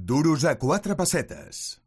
Duros a 4 pessetes.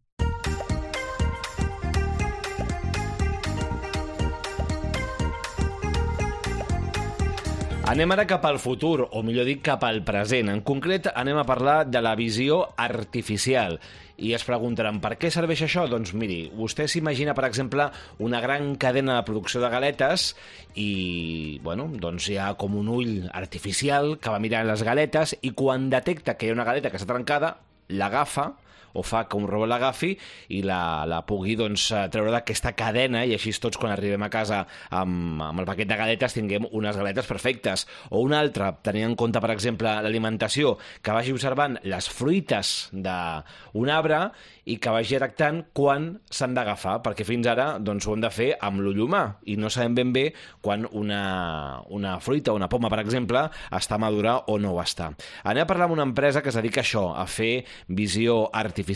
Anem ara cap al futur, o millor dit, cap al present. En concret, anem a parlar de la visió artificial. I es preguntaran, per què serveix això? Doncs miri, vostè s'imagina, per exemple, una gran cadena de producció de galetes i, bueno, doncs hi ha com un ull artificial que va mirant les galetes i quan detecta que hi ha una galeta que està trencada, l'agafa, o fa que un robot l'agafi i la pugui treure d'aquesta cadena i així tots quan arribem a casa amb el paquet de galetes tinguem unes galetes perfectes. O una altra, tenint en compte, per exemple, l'alimentació, que vagi observant les fruites d'un arbre i que vagi detectant quan s'han d'agafar, perquè fins ara ho hem de fer amb l'ull humà i no sabem ben bé quan una fruita o una poma, per exemple, està madura o no ho està. Anem a parlar amb una empresa que es dedica a això, a fer visió artificial.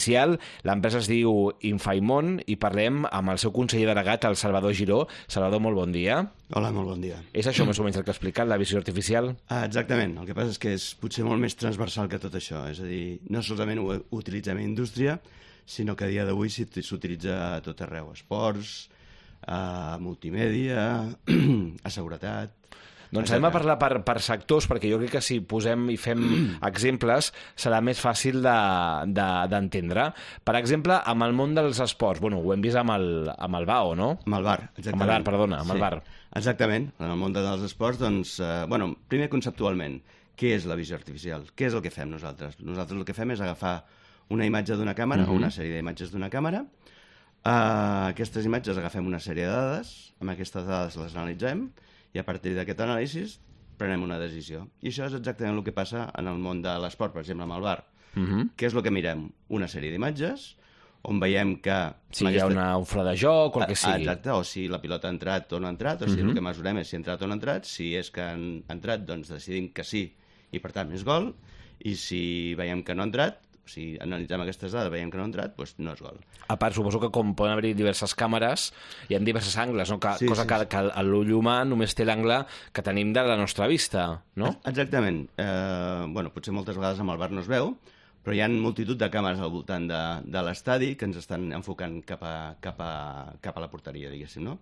L'empresa es diu Infaimon i parlem amb el seu conseller delegat, el Salvador Giró. Salvador, molt bon dia. Hola, molt bon dia. És això més o menys el que ha explicat, la visió artificial? Exactament. El que passa és que és potser molt més transversal que tot això. És a dir, no solament ho utilitzem a indústria, sinó que a dia d'avui s'utilitza a tot arreu. Esports, a multimèdia, a seguretat... Doncs anem a parlar per sectors, perquè jo crec que si posem i fem exemples serà més fàcil d'entendre. Per exemple, amb el món dels esports. Bueno, ho hem vist amb el BAO, no? Amb el bar, exactament. Amb el bar, perdona, amb el bar. Exactament. En el món dels esports, doncs, primer conceptualment, què és la visió artificial? Què és el que fem nosaltres? Nosaltres el que fem és agafar una imatge d'una càmera o una sèrie d'imatges d'una càmera. Aquestes imatges agafem una sèrie de dades, amb aquestes dades les analitzem i a partir d'aquest anàlisi prenem una decisió. I això és exactament el que passa en el món de l'esport, per exemple, amb el bar. Què és el que mirem? Una sèrie d'imatges on veiem que... Si hi ha un fora de joc o el que sigui. Exacte, o si la pilota ha entrat o no ha entrat, o sigui, el que mesurem és si ha entrat o no ha entrat. Si és que ha entrat, doncs decidim que sí i per tant és gol. I si veiem que no ha entrat, si analitzem aquestes dades veiem que no ha entrat, doncs no és gol. A part, suposo que com poden haver diverses càmeres, hi ha diversos angles, no? Que l'ull humà només té l'angle que tenim de la nostra vista, no? Exactament. Potser moltes vegades amb el bar no es veu, però hi ha multitud de càmeres al voltant de l'estadi que ens estan enfocant cap a la porteria, diguéssim, no?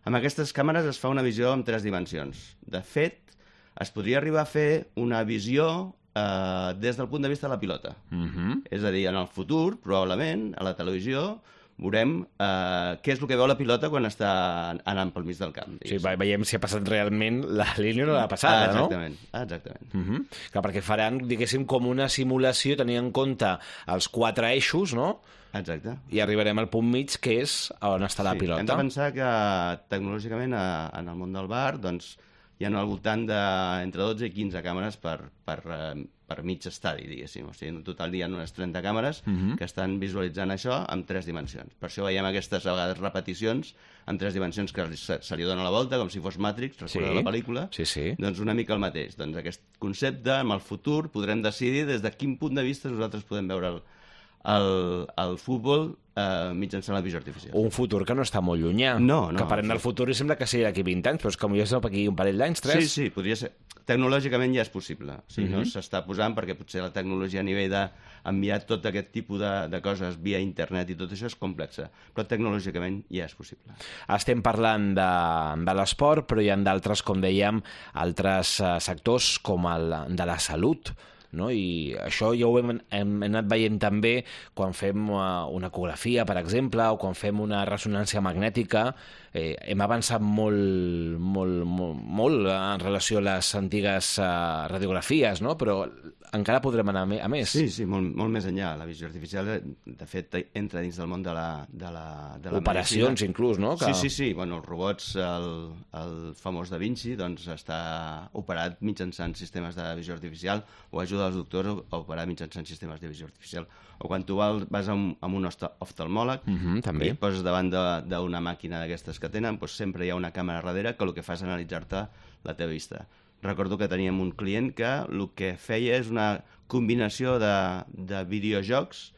Amb aquestes càmeres es fa una visió en 3 dimensions. De fet, es podria arribar a fer una visió des del punt de vista de la pilota. És a dir, en el futur, probablement, a la televisió, veurem què és el que veu la pilota quan està anant pel mig del camp. Sí, veiem si ha passat realment la línia o no l'ha passada, no? Exactament. Clar, perquè faran, diguéssim, com una simulació tenint en compte els 4 eixos, no? Exacte. I arribarem al punt mig, que és on està la pilota. Hem de pensar que tecnològicament en el món del bar, doncs, hi ha al voltant d'entre 12 i 15 càmeres per mig estadi, diguéssim. O sigui, en total hi ha unes 30 càmeres que estan visualitzant això en 3 dimensions. Per això veiem aquestes, a vegades, repeticions en 3 dimensions que se li dona la volta, com si fos Matrix, recordeu la pel·lícula? Sí. Doncs una mica el mateix. Doncs aquest concepte, en el futur, podrem decidir des de quin punt de vista nosaltres podem veure el futbol mitjançant la visió artificial. Un futur que no està molt llunyà. No. Que parlem del futur i sembla que sigui d'aquí 20 anys, però és que potser és d'aquí un parell d'anys, 3. Sí, podria ser. Tecnològicament ja és possible. O sigui, no s'està posant perquè potser la tecnologia a nivell d'enviar tot aquest tipus de coses via internet i tot això és complexa, però tecnològicament ja és possible. Estem parlant de l'esport, però hi ha d'altres, com dèiem, altres sectors com el de la salut, no? I això ja ho hem anat veient també quan fem una ecografia, per exemple, o quan fem una ressonància magnètica. Hem avançat molt en relació a les antigues radiografies, no? Però encara podrem anar a més. Sí, molt més enllà. La visió artificial, de fet, entra dins del món de la operacions, medicina. Inclús, no? Sí. Bueno, els robots, el famós Da Vinci, doncs està operat mitjançant sistemes de visió artificial o ajuda als doctors a operar mitjançant sistemes de visió artificial. O quan tu vas a un oftalmòleg també. i et poses davant d'una màquina d'aquestes que tenen, doncs sempre hi ha una càmera darrere que el que fa és analitzar-te la teva vista. Recordo que teníem un client que el que feia és una combinació de videojocs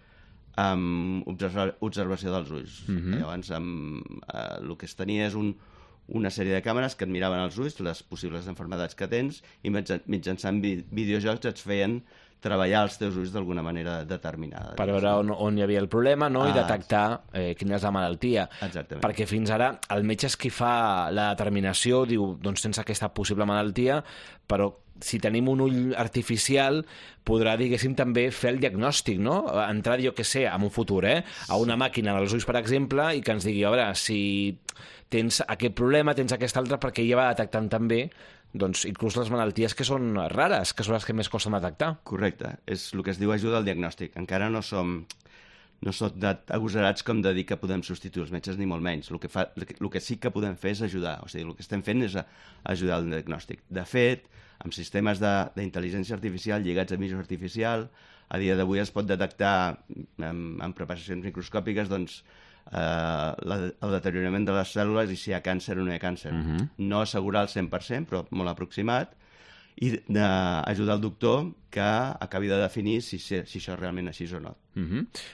amb observació dels ulls. Llavors, el que es tenia és una sèrie de càmeres que et miraven els ulls, les possibles malalties que tens, i mitjançant videojocs et feien treballar els teus ulls d'alguna manera determinada. Per veure on hi havia el problema, no? I detectar quina és la malaltia. Exactament. Perquè fins ara el metge és qui fa la determinació, diu, doncs tens aquesta possible malaltia, però si tenim un ull artificial podrà, diguéssim, també fer el diagnòstic, no? Entrar, jo què sé, en un futur, a una màquina dels ulls, per exemple, i que ens digui, a veure, si tens aquest problema, tens aquest altre, perquè ja va detectant també doncs inclús les malalties que són rares, que són les que més costen detectar. Correcte. És el que es diu ajuda al diagnòstic. Encara no som agosarats com de dir que podem substituir els metges, ni molt menys. El que sí que podem fer és ajudar. O sigui, el que estem fent és ajudar al diagnòstic. De fet, amb sistemes d'intel·ligència artificial lligats a visió artificial, a dia d'avui es pot detectar en preparacions microscòpiques doncs, el deteriorament de les cèl·lules i si hi ha càncer o no hi ha càncer. No assegurar el 100%, però molt aproximat, i ajudar el doctor que acabi de definir si això realment així o no.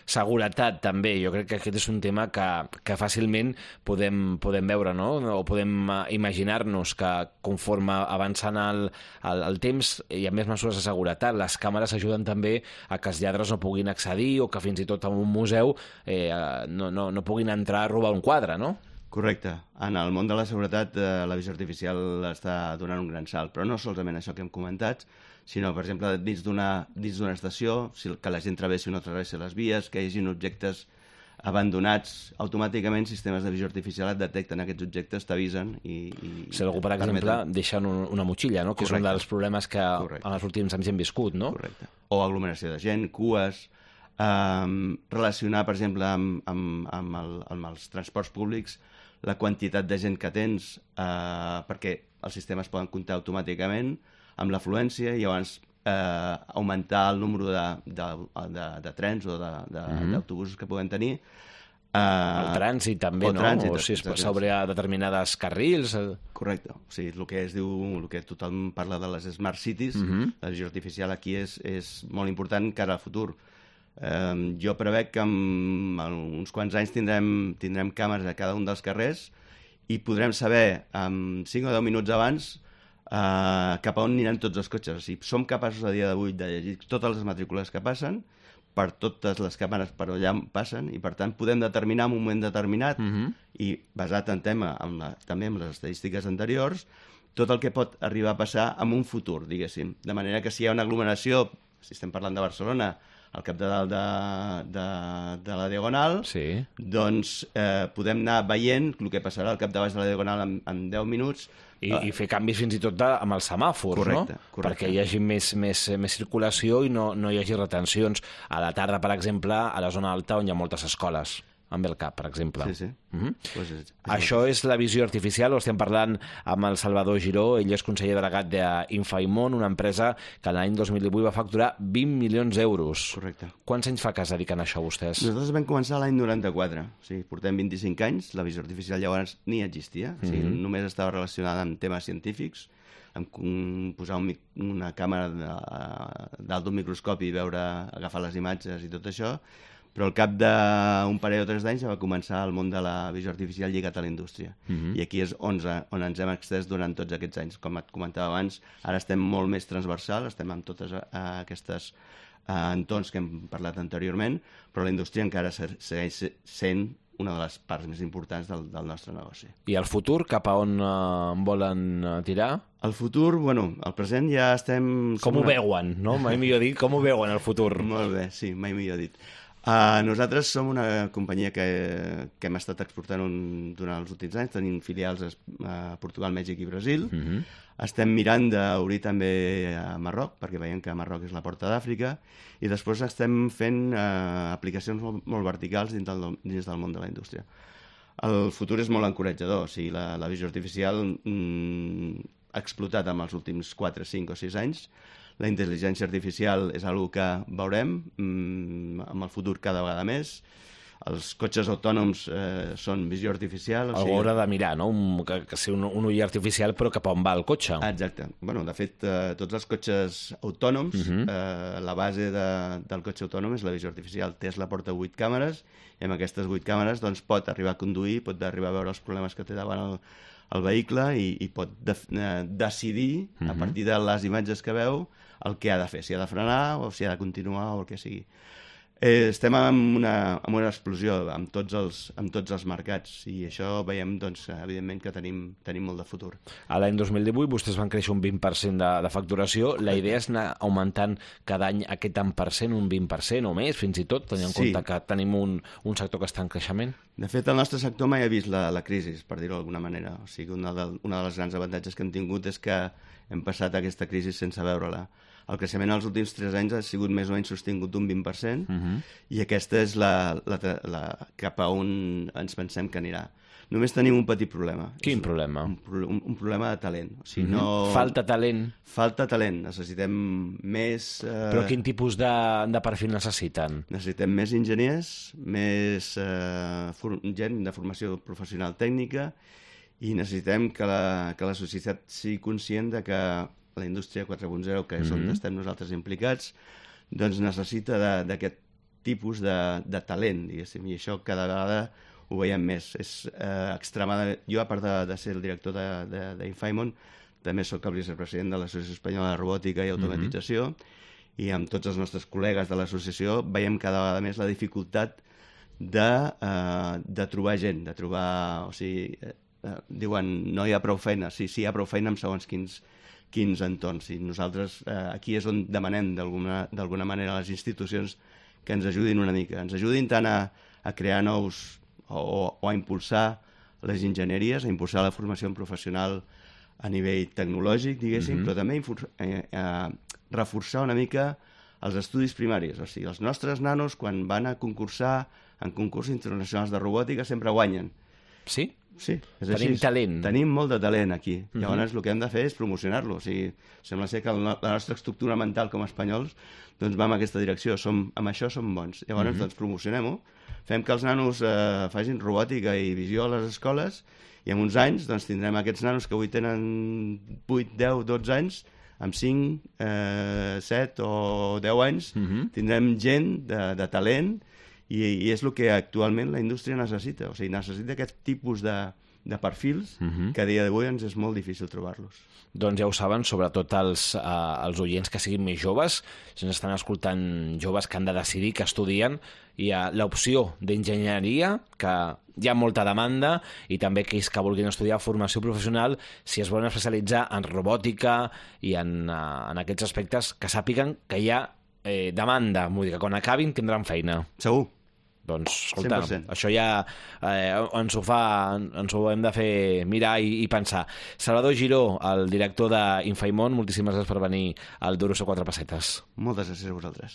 Seguretat, també. Jo crec que aquest és un tema que fàcilment podem veure, no? O podem imaginar-nos que conforme avançant el temps hi ha més mesures de seguretat. Les càmeres ajuden també a que els lladres no puguin accedir o que fins i tot en un museu no puguin entrar a robar un quadre, no? Correcte. En el món de la seguretat la visió artificial està donant un gran salt, però no solament això que hem comentat, sinó, per exemple, dins d'una estació, que la gent travessi o no travessi les vies, que hi hagi objectes abandonats, automàticament sistemes de visió artificial et detecten aquests objectes, t'avisen i si algú, per exemple, deixa una motxilla, no? Que és un dels problemes que en els últims anys hem viscut, no? Correcte. O aglomeració de gent, cues, relacionar, per exemple, amb els transports públics, la quantitat de gent que tens, perquè els sistemes poden comptar automàticament amb l'afluència i llavors augmentar el número de trens o d'autobusos que puguem tenir. El trànsit també, no? O si sobre determinades carrils. Correcte. O sigui, el que es diu, el que tothom parla de les smart cities, la visió artificial aquí és molt important cara al futur. Jo prevec que en uns quants anys tindrem càmeres a cada un dels carrers i podrem saber en 5 o 10 minuts abans cap a on aniran tots els cotxes. O sigui, som capaços a dia d'avui de llegir totes les matrícules que passen per totes les càmeres per allà passen i per tant podem determinar en un moment determinat i basat en també en les estadístiques anteriors tot el que pot arribar a passar en un futur, diguéssim. De manera que si hi ha una aglomeració, si estem parlant de Barcelona, al cap de dalt de la Diagonal, doncs podem anar veient el que passarà al cap de baix de la Diagonal en 10 minuts. I fer canvis fins i tot amb els semàfors, correcte, no? Perquè hi hagi més circulació i no hi hagi retencions. A la tarda, per exemple, a la zona alta on hi ha moltes escoles. Amb el cap, per exemple. Sí. Això és la visió artificial, o estem parlant amb el Salvador Giró, ell és conseller delegat d'Infaimon, una empresa que l'any 2018 va facturar 20 milions d'euros. Correcte. Quants anys fa que es dediquen a això, vostès? Nosaltres vam començar l'any 94, o sigui, portem 25 anys, la visió artificial llavors ni existia, o sigui, només estava relacionada amb temes científics, amb posar una càmera dalt d'un microscopi i agafar les imatges i tot això, però al cap d'un parell o 3 d'anys ja va començar el món de la visió artificial lligat a la indústria. I aquí és on ens hem extès durant tots aquests anys. Com et comentava abans, ara estem molt més transversal, estem amb totes aquestes entorns que hem parlat anteriorment, però la indústria encara segueix sent una de les parts més importants del nostre negoci. I el futur, cap a on volen tirar? El futur, bueno, el present ja estem... Com ho veuen, no? Mai millor dit, com ho veuen el futur? Molt bé, sí, mai millor dit. Nosaltres som una companyia que hem estat exportant durant els últims anys, tenim filials a Portugal, Mèxic i Brasil. Estem mirant d'obrir també a Marroc, perquè veiem que Marroc és la porta d'Àfrica, i després estem fent aplicacions molt verticals dins del món de la indústria. El futur és molt encoratjador, o sigui, la visió artificial ha explotat en els últims 4, 5 o 6 anys. La intel·ligència artificial és una que veurem amb el futur cada vegada més. els cotxes autònoms són visió artificial. Algú haurà de mirar, no? Que sigui un ull artificial, però cap on va el cotxe. Exacte. Bueno, de fet, tots els cotxes autònoms, la base del cotxe autònom és la visió artificial. Tesla porta 8 càmeres, i amb aquestes 8 càmeres doncs, pot arribar a conduir, pot arribar a veure els problemes que té davant el vehicle i pot decidir, a partir de les imatges que veu, el que ha de fer, si ha de frenar o si ha de continuar o el que sigui. Estem en una explosió amb tots els mercats i això veiem, doncs, evidentment, que tenim molt de futur. A l'any 2018 vostès van créixer un 20% de facturació. La idea és anar augmentant cada any aquest tant per cent, un 20% o més, fins i tot, tenint en compte que tenim un sector que està en creixement? De fet, el nostre sector mai ha vist la crisi, per dir-ho d'alguna manera. O sigui, una de les grans avantatges que hem tingut és que hem passat aquesta crisi sense veure-la. El creixement als últims 3 anys ha sigut més o menys sostingut d'un 20%, i aquesta és cap a on ens pensem que anirà. Només tenim un petit problema. Quin problema? Un problema de talent. O sigui, Falta talent? Falta talent. Necessitem més... Però quin tipus de perfil necessiten? Necessitem més enginyers, més gent de formació professional tècnica, i necessitem que la societat sigui conscient de que la indústria 4.0, que és on estem nosaltres implicats, doncs necessita d'aquest tipus de talent, diguéssim, i això cada vegada ho veiem més. És extremadament... Jo, a part de ser el director d'Infaimon, també sóc el vicepresident de l'Associació Espanyola de Robòtica i Automatització, i amb tots els nostres col·legues de l'associació veiem cada vegada més la dificultat de trobar gent, de trobar... O sigui, diuen, no hi ha prou feina. Sí, hi ha prou feina en segons quins entorns. I nosaltres aquí és on demanem d'alguna manera a les institucions que ens ajudin una mica. Ens ajudin tant a crear nous o a impulsar les enginyeries, a impulsar la formació professional a nivell tecnològic, diguéssim, però també reforçar una mica els estudis primaris. O sigui, els nostres nanos, quan van a concursar en concursos internacionals de robòtica, sempre guanyen. Sí? Sí, és Tenim així. talent. Tenim molt de talent aquí. Llavors el que hem de fer és promocionar-lo. O sigui, sembla ser que la nostra estructura mental com a espanyols doncs va en aquesta direcció. Amb això som bons. Llavors doncs promocionem-ho. Fem que els nanos facin robòtica i visió a les escoles, i en uns anys doncs, tindrem aquests nanos que avui tenen 8, 10, 12 anys, amb 5, 7 o 10 anys, tindrem gent de talent, i és el que actualment la indústria necessita. O sigui, necessita aquest tipus de perfils que a dia d'avui ens és molt difícil trobar-los. Doncs ja ho saben, sobretot els oients que siguin més joves, si ens estan escoltant joves que han de decidir, que estudien, hi ha l'opció d'enginyeria, que hi ha molta demanda, i també aquells que vulguin estudiar formació professional, si es volen especialitzar en robòtica i en aquests aspectes, que sàpiguen que hi ha demanda, vull dir que quan acabin tindran feina. Segur. Doncs, escolta, 100%. això ja ens ho hem de fer mirar i pensar. Salvador Giró, el director d'Infaimon, moltíssimes gràcies per venir al Duros a 4 pessetes. Moltes gràcies a vosaltres.